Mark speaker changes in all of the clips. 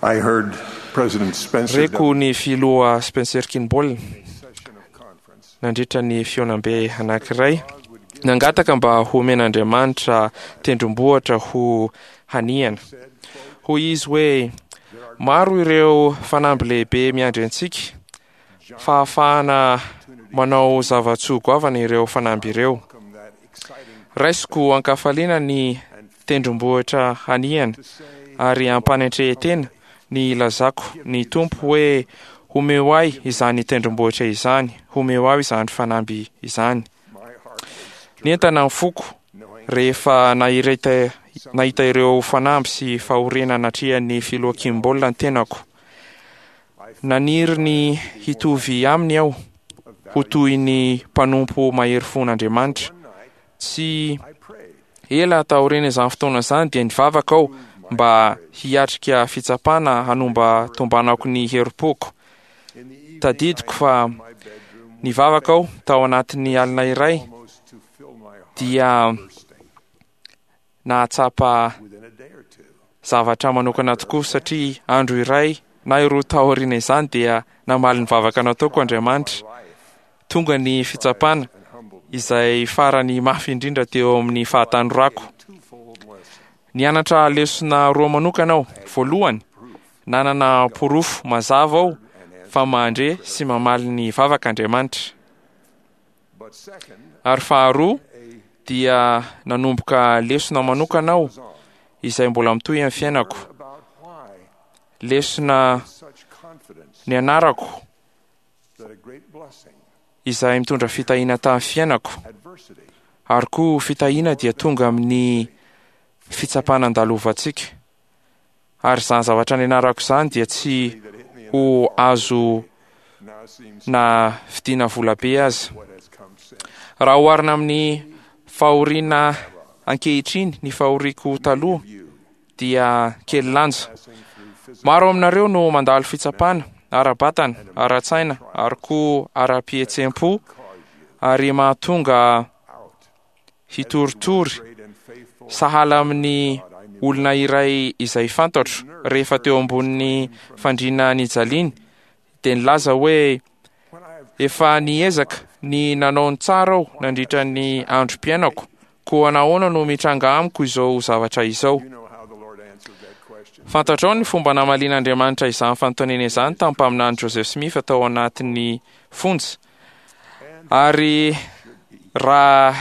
Speaker 1: I heard President Spencer
Speaker 2: Reko ny filoha Spencer Kimball
Speaker 1: session of conference
Speaker 2: nandritra ny fihaonambe anankiray nangataka mba homen'Andriamanitra tendrombohitra ho hanihana. Hoy izy hoe maro ireo fanamby lehibe miandry antsika, fahafahana manao zava-tsoa goavana ireo fanamby ireo.
Speaker 1: come that exciting
Speaker 2: Raisiko ankafaliana ny tendrombohitra hanihana ary ampanetren-tena ny ilazako ny Tompo hoe homeo ahy izany tendrombohitra izany, homeo ahy izany fanamby izany.
Speaker 1: my heart was
Speaker 2: Nientana ny foko
Speaker 1: knowing
Speaker 2: rehefa nahireta nahita ireo fanamby sy fahoriana natrehan'ny filoha Kimball ny tenako. Naniry ny hitovy aminy aho, ho toy ny mpanompo mahery fon'Andriamanitra.
Speaker 1: one night
Speaker 2: Tsy
Speaker 1: I prayed
Speaker 2: ela taorian'izany fotoana izany dia nivavaka aho mba hiatrika fitsapana hanomba tombanako ny herim-poko.
Speaker 1: in the evening
Speaker 2: Tadidiko fa
Speaker 1: my bedroom
Speaker 2: nivavaka aho tao anatin'ny alina iray
Speaker 1: almost to fill my heart
Speaker 2: dia
Speaker 1: bursting
Speaker 2: nahatsapa
Speaker 1: within a day or two.
Speaker 2: zavatra manokana tokoa satria andro iray na iroa taoriana izany dia namaly ny vavaka nataoko Andriamanitra.
Speaker 1: Life
Speaker 2: Tonga ny fitsapana
Speaker 1: and humbled me.
Speaker 2: izay farany mafy indrindra teo amin'ny fahatanorako.
Speaker 1: Twofold lesson.
Speaker 2: Nianatra lesona roa manokana aho. Voalohany, nanana porofo mazava aho fa mandre sy mamaly ny vavaka Andriamanitra.
Speaker 1: But second,
Speaker 2: Ary faharoa
Speaker 1: a
Speaker 2: dia nanomboka lesona manokana aho
Speaker 1: was on
Speaker 2: izay mbola mitohy amin'ny fiainako.
Speaker 1: about why
Speaker 2: Lesona
Speaker 1: such confidence
Speaker 2: nianarako
Speaker 1: that a great blessing,
Speaker 2: izay mitondra fitahiana tamin'ny fiainako.
Speaker 1: adversity,
Speaker 2: Ary koa fitahiana dia tonga amin'ny fitsapana andalovantsika. Ary izany zavatra nianarako izany dia tsy
Speaker 1: that hit me in
Speaker 2: ho azo
Speaker 1: now seems
Speaker 2: na vidiana volabe aza.
Speaker 1: what has come since.
Speaker 2: Raha oharina amin'ny fahoriana ankehitriny ny fahoriako taloha
Speaker 1: You
Speaker 2: dia kely lanja.
Speaker 1: passing through physical
Speaker 2: Maro aminareo no mandalo fitsapana ara-batana, ara-tsaina ary koa ara-pihetseham-po
Speaker 1: cause you
Speaker 2: ary mahatonga
Speaker 1: out
Speaker 2: hitoritory
Speaker 1: great and faithful
Speaker 2: sahala amin'ny olona iray izay fantatro rehefa teo ambonin'ny fandriana nijaliany dia nilaza hoe
Speaker 1: when I have
Speaker 2: efa niezaka ny nanao ny tsara aho nandritra ny androm-piainako koa nahoana no mitranga amiko izao zavatra izao.
Speaker 1: you know how the Lord answered that question.
Speaker 2: Fantatrao ny fomba namalian'Andriamanitra izany fanontaniana izany tamin'ny mpaminany Joseph Smith tao anatin'ny fonja. Ary raha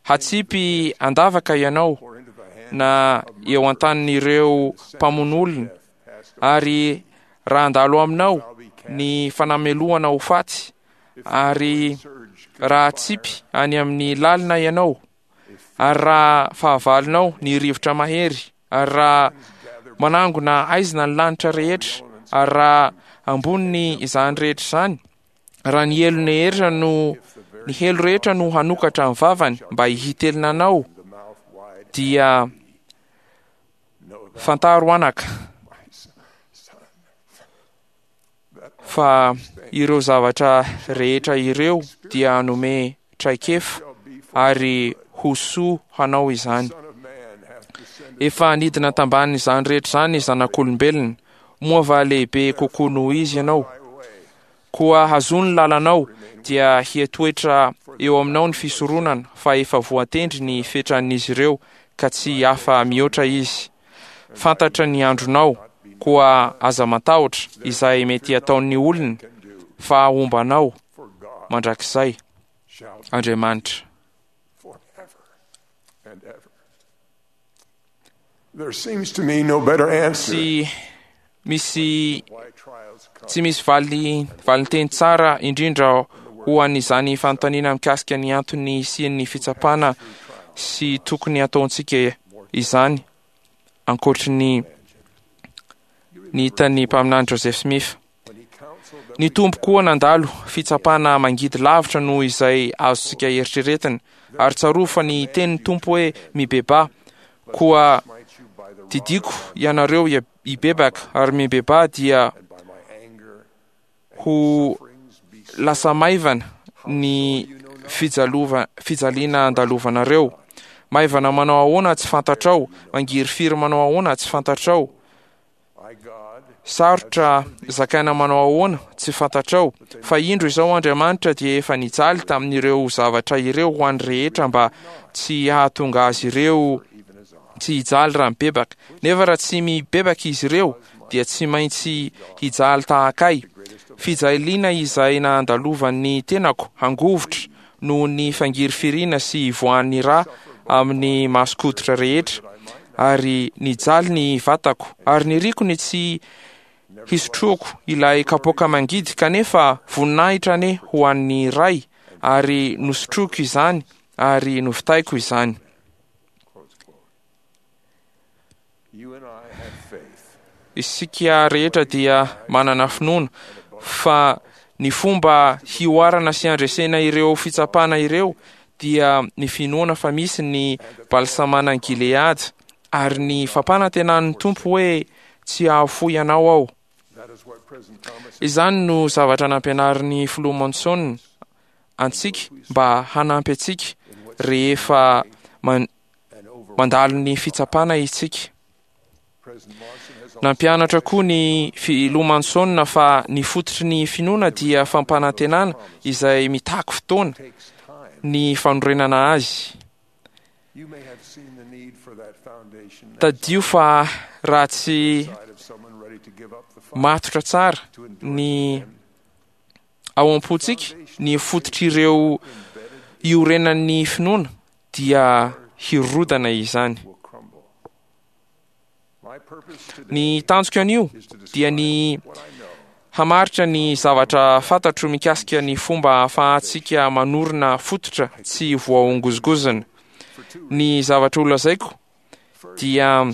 Speaker 2: hatsipy andavaka ianao
Speaker 1: Or into the hand
Speaker 2: na eo an-tanin'ireo mpamono olona
Speaker 1: passed
Speaker 2: ary raha handalo aminao
Speaker 1: shall be cast
Speaker 2: ny fanamelohana ho faty ary
Speaker 1: surge
Speaker 2: raha hatsipy any amin'ny lalina ianao ary raha fahavalonao ny rivotra mahery ary raha manangona aizina ny lanitra rehetra ary raha amboniny izany rehetra izany raha ny helo rehetra no ny helo rehetra no hanokatra ny vavany mba hitelina anao
Speaker 1: the mouth wide
Speaker 2: dia
Speaker 1: know that
Speaker 2: fantaro anaka
Speaker 1: my son that
Speaker 2: fa ireo zavatra rehetra ireo dia hanome traikefa
Speaker 1: shall be for
Speaker 2: ary ho soa hanao izany.
Speaker 1: Son of man hath descended
Speaker 2: Efa nidina tambanin'izany rehetra izany ny zanak'olombelona, moa va lehibe kokoa noho izy ianao?
Speaker 1: thy way
Speaker 2: Koa hazoa ny lalanao dia hiatoetra eo aminao ny fisoronana fa efa voatendry ny fetran'izy ireo ka tsy afa mihoatra izy. Fantatra ny andronao, koa aza matahotra izay mety hataon'ny olona
Speaker 1: can do
Speaker 2: fa homba anao
Speaker 1: for God
Speaker 2: mandrakizay
Speaker 1: shall be
Speaker 2: Andriamanitra.
Speaker 1: forever and ever. There seems to me no better answer
Speaker 2: Tsy misy
Speaker 1: why trials come
Speaker 2: tsy misy valy valinteny tsara indrindra ho an'izany fanontaniana mikasika ny antony hisian'ny fitsapana sy tokony hataontsika izany ankoatry ny ny hitan'ny mpaminany Joseph Smith.
Speaker 1: when he counseled that
Speaker 2: Ny Tompo koa nandalo fitsapana mangidy lavitra noho izay azontsika eritreretina ary tsarovy fa ny tenin'ny Tompo hoe mibebaha koa
Speaker 1: smite you by the rod
Speaker 2: didiko ianareo hibebaka ary mibebaha dia
Speaker 1: and by my anger
Speaker 2: ho
Speaker 1: sufferings be
Speaker 2: lasa maivana ny fijalova fijaliana andalovanareo. Maivana manao ahoana tsy fantatrao, mangirifiry manao ahoana tsy fantatrao.
Speaker 1: I God
Speaker 2: Sarotra zakaina manao ahoana tsy fantatrao, fa indro izao Andriamanitra dia efa nijaly tamin'ireo zavatra ireo ho an'ny rehetra mba tsy hahatonga azy ireo tsy hijaly raha mibebaka. Nefa raha tsy mibebaka izy ireo dia tsy maintsy hijaly tahaka ahy. Fijaliana izay nandalovan'ny tenako hangovitra noho ny fangirifiriana sy ivoahan'ny rà amin'ny mason-koditra rehetra, ary nijaly ny vatako, ary niriko ny tsy hisotroako ilay kapoaka mangidy, kanefa voninahitra anie ho an'ny Ray, ary nosotroiko izany ary novitaiko izany. Isika rehetra dia manana finoana fa ny fomba hihoarana sy handresena ireo fitsapana ireo dia ny finoana fa misy ny balsamanan'i Gileada ary ny fampanantenan'ny Tompo hoe tsy hahafoy anao aho. Izany no zavatra nampianarin'ny Filoha Monson antsika mba hanampy antsika rehefa mandalo ny fitsapana isika. Nampianatra koa ny Filoha Monson fa ny fototry ny finoana dia fampanantenana izay mitaky fotoana ny fanorenana azy. Tadidio fa raha tsy matotra tsara ny ao am-pontsika ny fototr'ireo iorenan'ny finoana dia hirodana izany. Ny tanjoko anio dia ny hamaritra ny zavatra fantatro mikasika ny fomba ahafahantsika manorina fototra tsy voahongozongozona. Ny zavatra holazaiko dia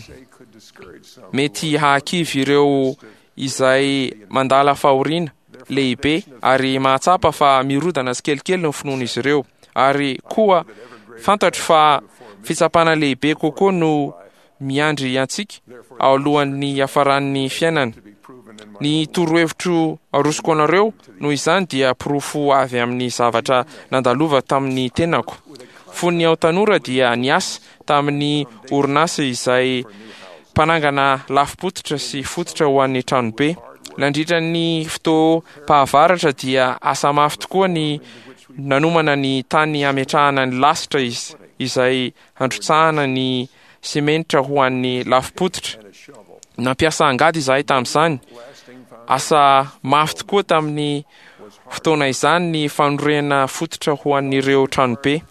Speaker 2: mety hahakivy ireo izay mandala fahoriana lehibe ary mahatsapa fa mirodana tsikelikely ny finoan'izy ireo. Ary koa fantatro fa fitsapana lehibe kokoa no miandry antsika alohan'ny hiafaran'ny fiainana. Ny torohevitro arosoko anareo noho izany dia porofo avy amin'ny zavatra nandalovako tamin'ny tenako. Fony aho tanora dia niasa tamin'ny orinasa izay mpanangana lafim-pototra sy fototra ho an'ny tranobe. Nandritra ny fotoam-pahavaratra dia asa mafy tokoa ny nanomana ny tany hametrahana ny lasitra izay handrotsahana ny simenitra ho an'ny lafim-pototra. Nampiasa angady izahay tamin'izany. Asa mafy tokoa tamin'ny fotoana izany ny fanorenana fototra ho an'ireo tranobe.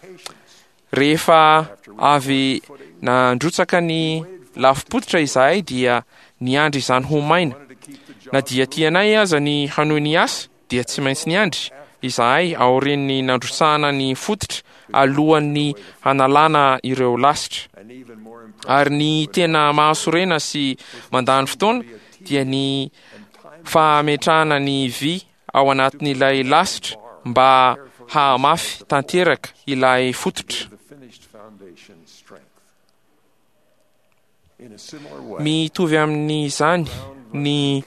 Speaker 2: Rehefa avy nandrotsaka ny lafim-pototra izahay dia niandry izany ho maina. Na dia tianay aza ny hanohy ny asa dia tsy maintsy niandry izahay aorian'ny nandrotsahana ny fototra alohan'ny hanalana ireo lasitra. Ary ny tena mahasorena sy mandany fotoana dia ny fametrahana ny vy ao anatin'ilay lasitra mba hahamafy tanteraka ilay fototra. Mitovy amin'izany ny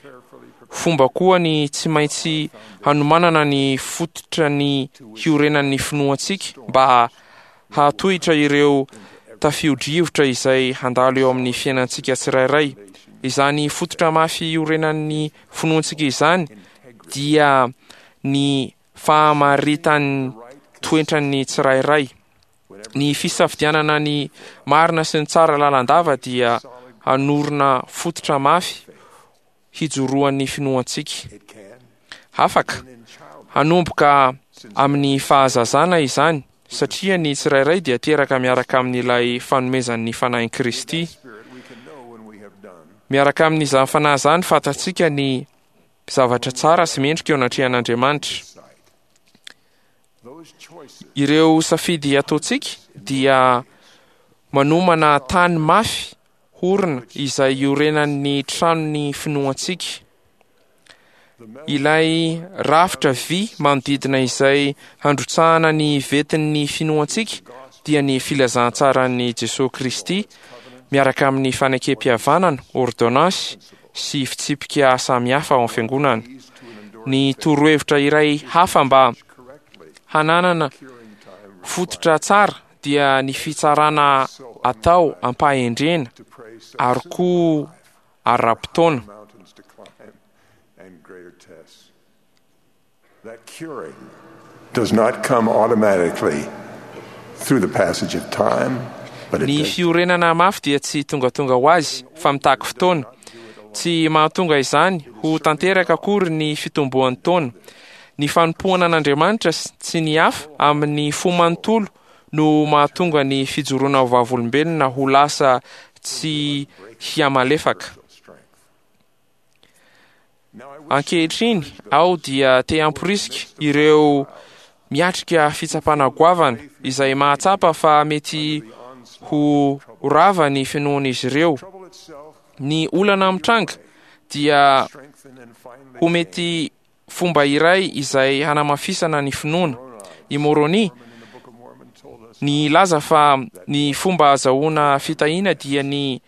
Speaker 2: fomba koa ny tsy maintsy hanomanana ny fototra ny hiorenan'ny finoantsika mba hahatohitra ireo tafio-drivotra izay handalo eo amin'ny fiainantsika tsirairay. Izany fototra mafy iorenan'ny finoantsika izany dia ny fahamaritan'ny toetran'ny tsirairay. Ny fisafidianana ny marina sy ny tsara lalandava dia hanorina fototra mafy hijoroan'ny finoantsika. Afaka hanomboka amin'ny fahazazana izany satria ny tsirairay dia teraka miaraka amin'ilay fanomezan'ny Fanahin'i Kristy. Miaraka amin'izany Fanahy izany fantatsika ny zavatra tsara sy mendrika eo anatrehan'Andriamanitra. Ireo safidy ataontsika dia manomana tany mafy horina izay iorenan'ny tranon'ny finoantsika. Ilay rafitra vy manodidina izay handrotsahana ny vetin'ny finoantsika dia ny filazantsaran'i Jesoa Kristy miaraka amin'ny fanekempihavanana, ôrdônansy, sy fitsipika samihafa ao amin'ny Fiangonana. Ny torohevitra iray hafa mba hananana fototra tsara dia ny fitsarana atao am-pahendrena ary koa ara-potoana.
Speaker 1: and greater tests. That curing does not come automatically through the passage of time, but it
Speaker 2: Ny
Speaker 1: does
Speaker 2: fiorenana mafy dia tsy tongatonga ho azy fa mitaky fotoana. Tsy mahatonga izany ho tanteraka akory ny fitomboan'ny taona. Ny fanompoana an'Andriamanitra sy ny hafa amin'ny fo manontolo no mahatonga ny fijoroana ho vavolombelona ho lasa tsy hihamalefaka.
Speaker 1: strength. Now I wish
Speaker 2: Ankehitriny aho dia te hamporisika ireo miatrika fitsapana goavana izay mahatsapa fa mety ho rava ny finoan'izy ireo.
Speaker 1: trouble itself
Speaker 2: Ny olana mitranga dia
Speaker 1: strengthen and finally
Speaker 2: ho mety fomba iray izay hanamafisana ny finoana. I Moroni
Speaker 1: in the Book of Mormon told us
Speaker 2: nilaza fa ny fomba azahoana fitahiana dia ny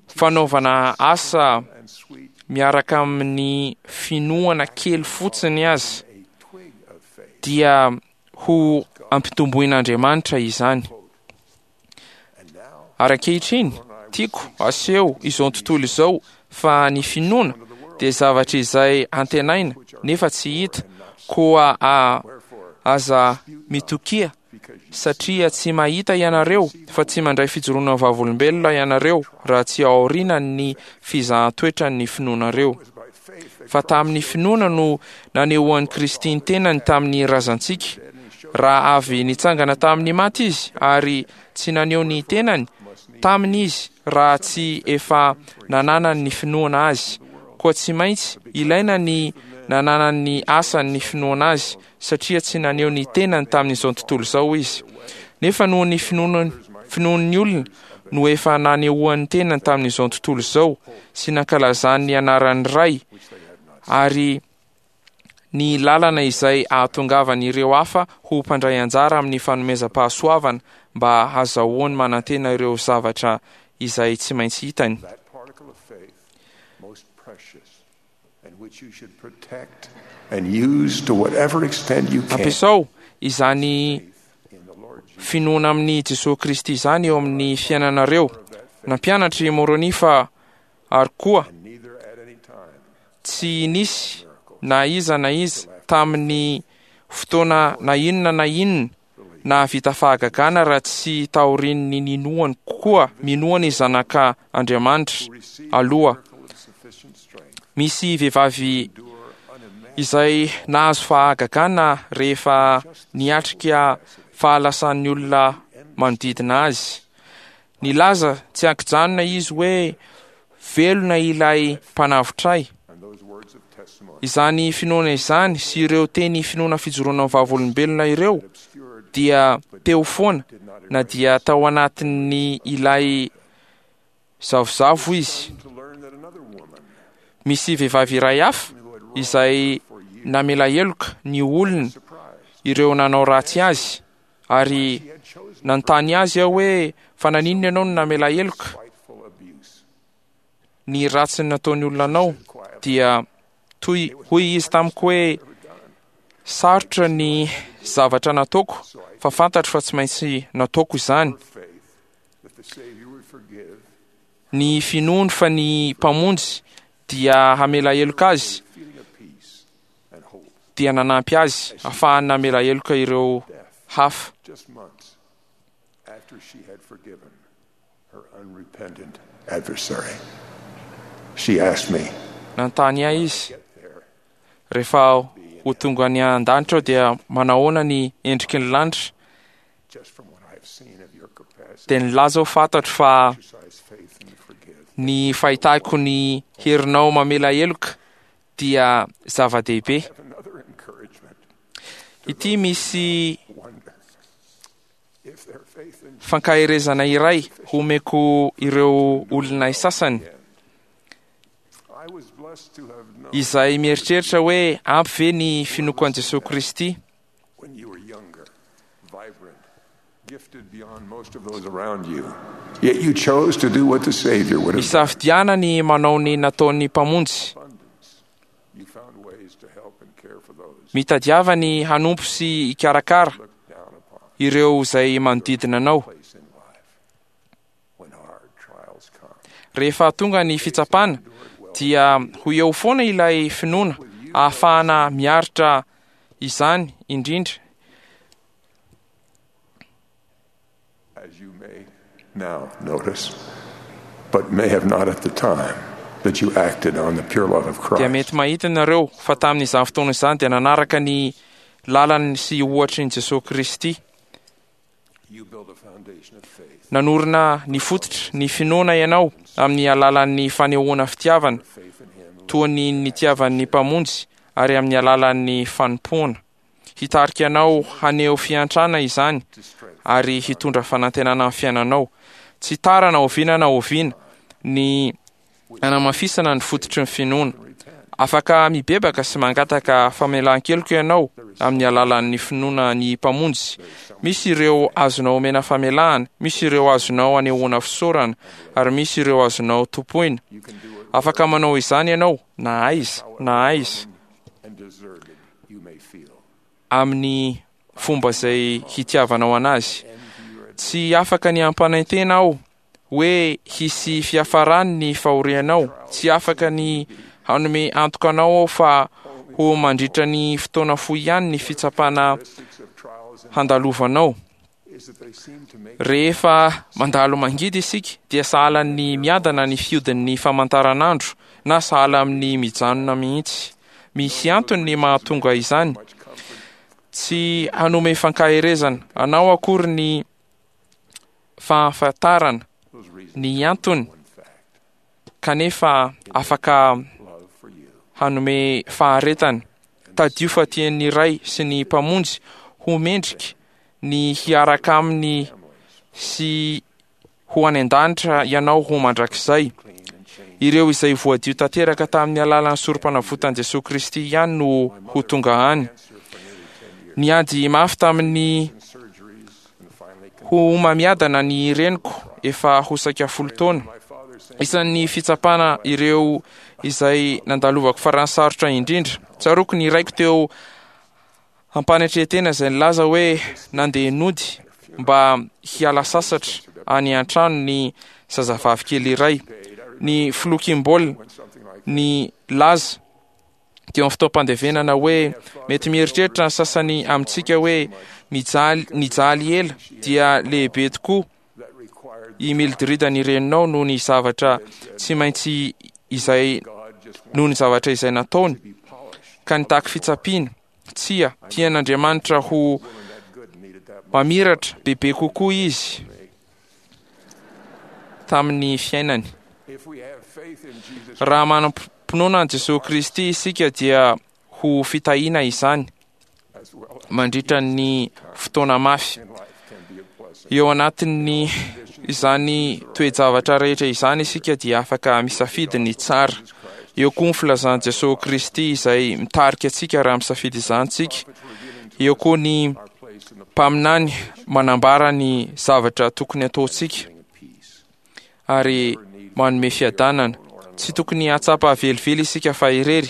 Speaker 2: fanaovana asa
Speaker 1: and sweet
Speaker 2: miaraka amin'ny finoana kely fotsiny azy
Speaker 1: a twig of faith.
Speaker 2: dia ho ampitomboin'Andriamanitra izany.
Speaker 1: And now
Speaker 2: Ary ankehitriny, tiako aseho izao tontolo izao fa ny finoana dia zavatra izay antenaina nefa tsy hita, koa
Speaker 1: wherefore
Speaker 2: aza mitokia
Speaker 1: because you
Speaker 2: satria tsy mahita ianareo fa tsy mandray fijoroana vavolombelona ianareo raha tsy aoriana ny fizahan-toetran'ny finoanareo.
Speaker 1: was by faith that
Speaker 2: Fa tamin'ny finoana no nanehoan'i Kristy ny tenany tamin'ny razantsika, raha avy nitsangana tamin'ny maty izy ary tsy naneho ny tenany taminy izy raha tsy efa nananany ny finoana azy. Koa tsy maintsy ilaina ny nananany asan'ny finoana azy satria tsy naneho ny tenany tamin'izao tontolo izao izy. Nefa noho ny finoan'ny olona no efa nanehoan'ny tenany tamin'izao tontolo izao sy nankalazany ny anaran'ny Ray ary ny lalana izay ahatongavan'ireo hafa ho mpandray anjara amin'ny fanomezam-pahasoavana mba hazahoany manantena ireo zavatra izay tsy maintsy hitany.
Speaker 1: that particle of faith most precious and which you should protect and use to whatever extent you can
Speaker 2: Ampiasao izany
Speaker 1: in the Lord Jesus.
Speaker 2: finoana amin'i Jesosy Kristy izany eo amin'ny fiainanareo. Nampianatra i Moroni fa ary koa
Speaker 1: And neither at any time
Speaker 2: tsy nisy na iza na iza tamin'ny fotoana na inona na inona nahavita fahagagana raha tsy taorian'ny ninoany koa minoany zanaka Andriamanitra
Speaker 1: receive
Speaker 2: aloha.
Speaker 1: miracle of sufficient strength
Speaker 2: Misy vehivavy
Speaker 1: endure unimaginable
Speaker 2: izay nahazo fahagagana rehefa niatrika fahalasan'ny olona manodidina azy. Nilaza tsy ankijanona izy hoe velona ilay mpanavotra ahy.
Speaker 1: and those words of testimony
Speaker 2: Izany finoana izany sy ireo teny finoana fijoroana vavolombelona ireo
Speaker 1: obscured
Speaker 2: dia teo foana na dia tao anatin'ny ilay zavozavo izy.
Speaker 1: to learn that another woman
Speaker 2: Misy vehivavy iray hafa
Speaker 1: who had
Speaker 2: izay
Speaker 1: for years
Speaker 2: namela heloka ny olona
Speaker 1: surprised
Speaker 2: ireo nanao ratsy azy ary
Speaker 1: she had chosen
Speaker 2: nanontany azy aho hoe fa naninona ianao no namela heloka
Speaker 1: spiteful abuse
Speaker 2: ny ratsy nataon'ny olona anao dia toy hoy izy tamiko hoe
Speaker 1: ever done
Speaker 2: sarotra ny zavatra nataoko fa fantatro fa tsy maintsy nataoko izany.
Speaker 1: her faith that the Savior would forgive
Speaker 2: Ny finoany fa ny mpamonjy dia hamela heloka azy
Speaker 1: feeling of peace and hope
Speaker 2: dia nanampy azy ahafahany namela heloka ireo
Speaker 1: death
Speaker 2: hafa.
Speaker 1: just months after she had forgiven her unrepentant adversary. She asked me,
Speaker 2: Nanontany ahy izy
Speaker 1: get there
Speaker 2: rehefa ho tonga any an-danitra aho dia manahoana ny endriky ny lanitra
Speaker 1: just from what I've seen of your capacity
Speaker 2: dia nilaza aho fantatro fa
Speaker 1: to exercise faith and to forgive.
Speaker 2: ny fahitako ny herinao mamela heloka dia zava-dehibe.
Speaker 1: Have another encouragement.
Speaker 2: Ity misy
Speaker 1: Wonder if their faith in
Speaker 2: fankaherezana iray homeko ireo olona sasany
Speaker 1: I was blessed to have known
Speaker 2: izay mieritreritra hoe ampy ve ny finoako an'i Jesosy Kristy
Speaker 1: when you were younger, vibrant, gifted beyond most of those around you. Yet you chose to do what the Savior would have done.
Speaker 2: Misafidiana ny manao ny nataon'ny mpamonjy.
Speaker 1: Abundance. You found ways to help and care for those
Speaker 2: Mitadiava ny hanompo sy hikarakara
Speaker 1: looked down upon.
Speaker 2: ireo izay manodidina anao.
Speaker 1: Place in life when hard trials come.
Speaker 2: Rehefa tonga ny fitsapana
Speaker 1: Endured well
Speaker 2: dia ho eo foana ilay finoana ahafahana miaritra izany indrindra.
Speaker 1: As you may now notice, but may have not at the time that you acted on the pure love of
Speaker 2: Dia
Speaker 1: Christ.
Speaker 2: mety mahita ianareo fa tamin'izany fotoana izany dia nanaraka ny lalany sy ohatry ny Jesosy Kristy.
Speaker 1: You build a foundation of faith,
Speaker 2: Nanorina ny fototra ny finoana ianao amin'ny alalan'ny fanehoana fitiavana
Speaker 1: faith in Him
Speaker 2: toa ny nitiavan'ny Mpamonjy ary amin'ny alalan'ny fanompoana. Hitarika anao haneho fiantrana izany
Speaker 1: to strength
Speaker 2: ary hitondra fanantenana amin'ny fiainanao. Tsy tara na oviana na oviana ny anamafisana ny fototry ny finoana. Afaka mibebaka sy mangataka famelan-keloka ianao amin'ny alalan'ny finoana ny Mpamonjy. Misy ireo azonao omena famelahana, misy ireo azonao anehoana fisaorana, ary misy ireo azonao tompoina.
Speaker 1: You can do it
Speaker 2: Afaka manao izany ianao na aiza na aiza
Speaker 1: and deserted you may feel.
Speaker 2: amin'ny fomba izay hitiavanao anazy. Tsy afaka ny hampanantena aho hoe hisy fiafarany ny fahorianao. Tsy afaka ny hanome antoka anao aho fa ho mandritra ny fotoana fohy ihany ny fitsapana
Speaker 1: Characteristics of trials and
Speaker 2: handalovanao.
Speaker 1: is that they seem to make
Speaker 2: Rehefa mandalo mangidy isika dia sahala ny miadana ny fiodin'ny famantaranandro na sahala amin'ny mijanona mihitsy. Misy antony ny mahatonga izany.
Speaker 1: much comfort
Speaker 2: Tsy hanome fankaherezana anao akory ny fahafantarana
Speaker 1: those reasons
Speaker 2: ny antony
Speaker 1: one fact
Speaker 2: kanefa afaka
Speaker 1: love for you
Speaker 2: hanome faharetana. Tadio fa tian'ny Ray sy ny Mpamonjy ho mendrika ny hiaraka aminy sy ho any an-danitra ianao ho mandrakizay.
Speaker 1: clean and change
Speaker 2: Ireo izay voadio tanteraka tamin'ny alalan'ny sorom-panavotan'i Jesosy Kristy ihany no ho tonga any.
Speaker 1: cancer for nearly 10 years
Speaker 2: Niady mafy tamin'ny
Speaker 1: and surgeries and finally
Speaker 2: ho homamiadana ny reniko efa ho saika 10 taona.
Speaker 1: my father saying
Speaker 2: Isan'ny fitsapana ireo izay nandalovako farany sarotra indrindra. Tsaroako ny raiko teo ampanetren-tena izay nilaza hoe nandeha nody mba hiala sasatra any an-trano ny zazavavy kely iray. Ny filoha Kimball
Speaker 1: when something like
Speaker 2: ny laza teo amin'ny fotoam-pandevenana hoe mety mieritreritra ny sasany amintsika hoe mijaly nijaly ela dia lehibe tokoa
Speaker 1: that required
Speaker 2: i Mildred ny reninao noho ny zavatra tsy maintsy izay
Speaker 1: God just wanted
Speaker 2: noho ny zavatra izay nataony
Speaker 1: to be polished
Speaker 2: ka nitaky fitsapiana. Tsia, tian'Andriamanitra ho
Speaker 1: woman that good needed that much
Speaker 2: mamiratra bebe kokoa izy tamin'ny fiainany.
Speaker 1: if we have faith in Jesus
Speaker 2: Raha manam-pinoana an'i Jesosy Kristy isika dia ho fitahiana izany
Speaker 1: as well as
Speaker 2: mandritra ny fotoana mafy.
Speaker 1: in life can be a blessing
Speaker 2: Eo anatin'ny izany toe-javatra rehetra izany isika dia afaka misafidy ny tsara. Eo koa ny filazan'i Jesosy Kristy izay mitarika antsika raha misafidy izany tsika. Eo koa ny
Speaker 1: our place in the
Speaker 2: mpaminany manambara ny zavatra tokony ataontsika
Speaker 1: and peace
Speaker 2: ary manome fiadanana. Tsy tokony hahatsapa velively isika fa irery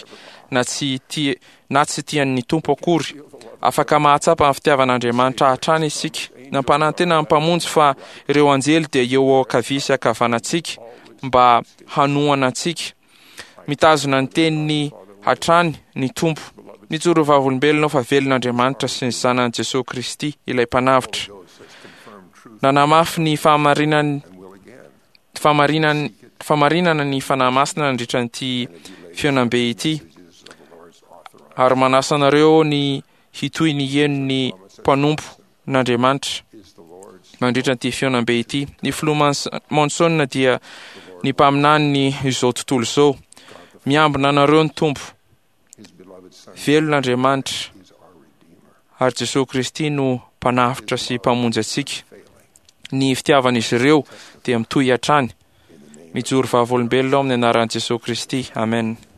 Speaker 2: na tsy tia na tsy tian'ny Tompo akory. Afaka mahatsapa ny fitiavan'Andriamanitra hatrany isika. Nampanantena ny Mpamonjy fa ireo anjely dia eo ankavia sy ankavanantsika mba hanohana antsika. Mitazona ny teniny hatrany ny Tompo. Mijoro vavolombelona fa velona Andriamanitra sy ny zanany Jesosy Kristy ilay mpanavotra.
Speaker 1: Ghost has confirmed truth
Speaker 2: Nanamafy ny fahamarinany
Speaker 1: and will again
Speaker 2: fahamarinany fahamarinana ny Fanahy Masina nandritra ity fihaonambe ity
Speaker 1: messages of the Lord's authorized
Speaker 2: ary manasa anareo ny hitohy ny heno ny mpanompo n'Andriamanitra
Speaker 1: is the Lord's
Speaker 2: mandritra ity fihaonambe ity. Ny filoha Monson dia ny mpaminany izao tontolo izao. Miambina anareo ny Tompo,
Speaker 1: his beloved son
Speaker 2: velona Andriamanitra
Speaker 1: is our redeemer
Speaker 2: ary Jesosy Kristy no mpanavotra sy mpamonjy antsika.
Speaker 1: failing
Speaker 2: Ny fitiavan'izy ireo dia mitohy hatrany.
Speaker 1: in the name
Speaker 2: Mijoro vavolombelona ao amin'ny anaran'i Jesosy Kristy. Amen.